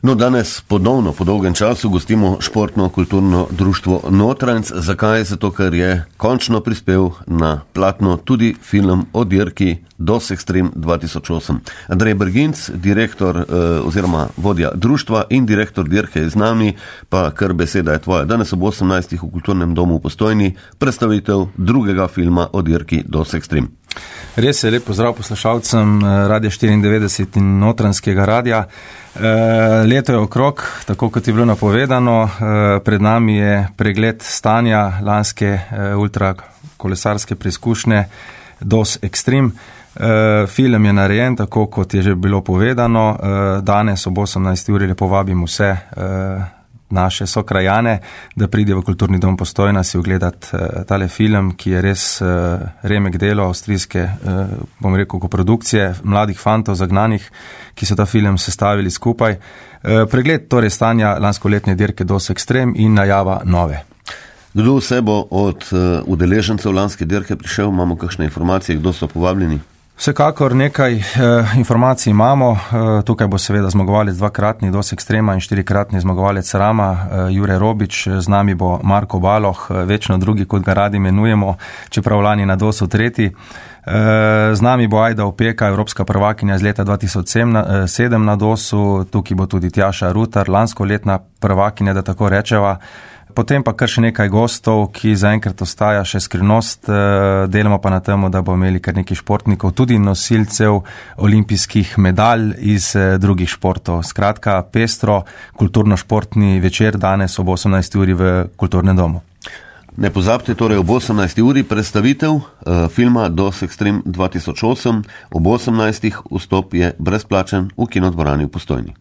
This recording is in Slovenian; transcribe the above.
No, danes ponovno, po dolgem času, gostimo športno-kulturno društvo Notranjc. Zakaj? Zato, ker je končno prispel na platno tudi film o dirki DOS Extreme 2008. Andrej Berginc, direktor oziroma vodja društva in direktor dirke je z nami, pa kar beseda je tvoja. Danes ob 18. v Kulturnem domu v Postojni predstavitev drugega filma o dirki DOS Extreme. Res je, lep pozdrav poslušalcem Radia 94 in Notranjskega radia. Leto je okrog, tako kot je bilo napovedano, pred nami je pregled stanja lanske ultrakolesarske preizkušnje DOS Extreme. Film je narejen, tako kot je že bilo povedano. Danes ob 18. uri lepo vabim vse naše sokrajane, da pride v Kulturni dom Postojna si ogledati tale film, ki je res remek delo avstrijske, bom rekel, koprodukcije mladih fantov zagnanih, ki so ta film sestavili skupaj. Pregled torej stanja lanskoletne dirke DOS Extreme in najava nove. Kdo vse bo od udeležencev lanske dirke prišel? Imamo kakšne informacije, kdo so povabljeni? Vsekakor nekaj informacij imamo. Tukaj bo seveda zmagovalec dvakratni DOS Extrema in štirikratni zmagovalec Rama, Jure Robič. Z nami bo Marko Baloh, večno drugi, kot ga radi imenujemo, čeprav lani na DOS-u tretji. Z nami bo Ajda Opeka, evropska prvakinja iz leta 2007 na DOS-u. Tukaj bo tudi Tjaša Rutar, lanskoletna prvakinja, da tako rečeva. Potem pa kar še nekaj gostov, ki zaenkrat ostaja še skrivnost, delamo pa na temu, da bo imeli kar nekaj športnikov, tudi nosilcev olimpijskih medalj iz drugih športov. Skratka, pestro, kulturno-športni večer danes ob 18. uri v Kulturnem domu. Ne pozabite torej ob 18. uri predstavitev filma DOS Extreme 2008. Ob 18. vstop je brezplačen v kinodvorani v Postojni.